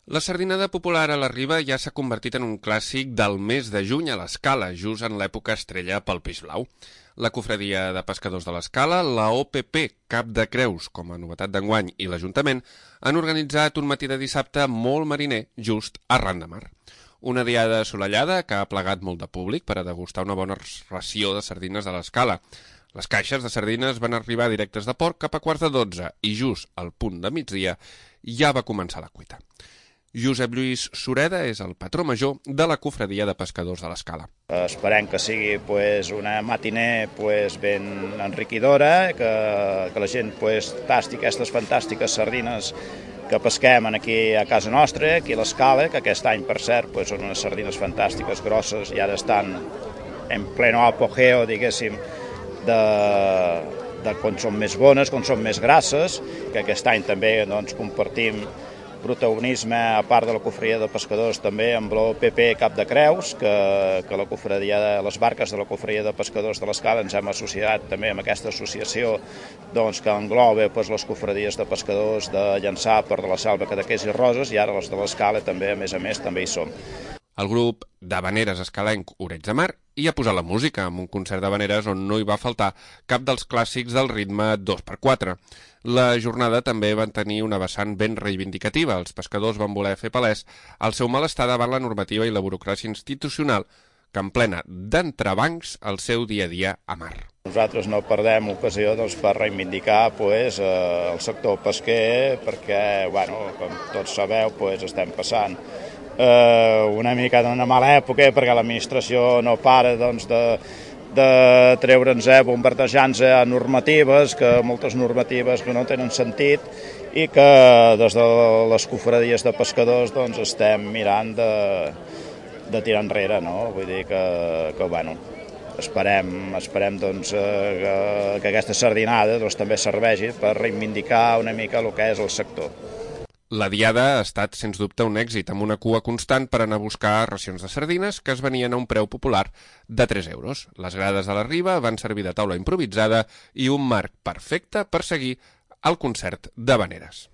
La sardinada popular a la Riba ja s'ha convertit en un clàssic del mes de juny a l'Escala, just en l'època estrella pel peix blau. La Cofradia de Pescadors de l'Escala, la OPP Cap de Creus, com a novetat d'enguany, i l'Ajuntament han organitzat un matí de dissabte molt mariner just arran de mar. Una diada assolellada que ha plegat molt de públic per a degustar una bona ració de sardines a l'Escala. Les caixes de sardines van arribar directes de port cap a 11:15 i just al punt de migdia ja va començar la cuita. Josep Lluís Sureda és el patró major de la Cofradia de Pescadors de l'Escala. Esperem que sigui una matiner ben enriquidora, que la gent tasti aquestes fantàstiques sardines que pesquem aquí a casa nostra, aquí a l'Escala, que aquest any, per cert, són unes sardines fantàstiques, grosses, i ara estan en pleno apogeo, diguéssim, de quan són més bones, quan són més grasses, que aquest any també compartim protagonisme, a part de la Cofradia de Pescadors, també amb l'OPP Cap de Creus, que la Cofradia de les barques de la Cofradia de Pescadors de l'Escala ens hem associat també amb aquesta associació que engloba les cofradies de pescadors de Llançà, Port de la Selva, Cadaqués i Roses, i ara les de l'Escala també, a més, també hi som. El grup d'habaneres escalenc Oreig de Mar hi ha posat la música amb un concert d'habaneres on no hi va faltar cap dels clàssics del ritme 2x4. La jornada també van tenir una vessant ben reivindicativa. Els pescadors van voler fer palès el seu malestar davant la normativa i la burocràcia institucional que emplena d'entrebancs el seu dia a dia a mar. Nosaltres no perdem ocasió per reivindicar el sector pesquer perquè, com tots sabeu, estem passant una mica d'una mala època perquè l'administració no para de treure'ns, bombardejant-nos a normatives, moltes normatives que no tenen sentit i que des de les cofradies de pescadors estem mirant de tirar enrere, no? Vull dir que esperem que aquesta sardinada també serveixi per reivindicar una mica el que és el sector. La diada ha estat, sens dubte, un èxit, amb una cua constant per anar a buscar racions de sardines que es venien a un preu popular de 3 euros. Les grades de la Riba van servir de taula improvisada i un marc perfecte per seguir el concert d'habaneres.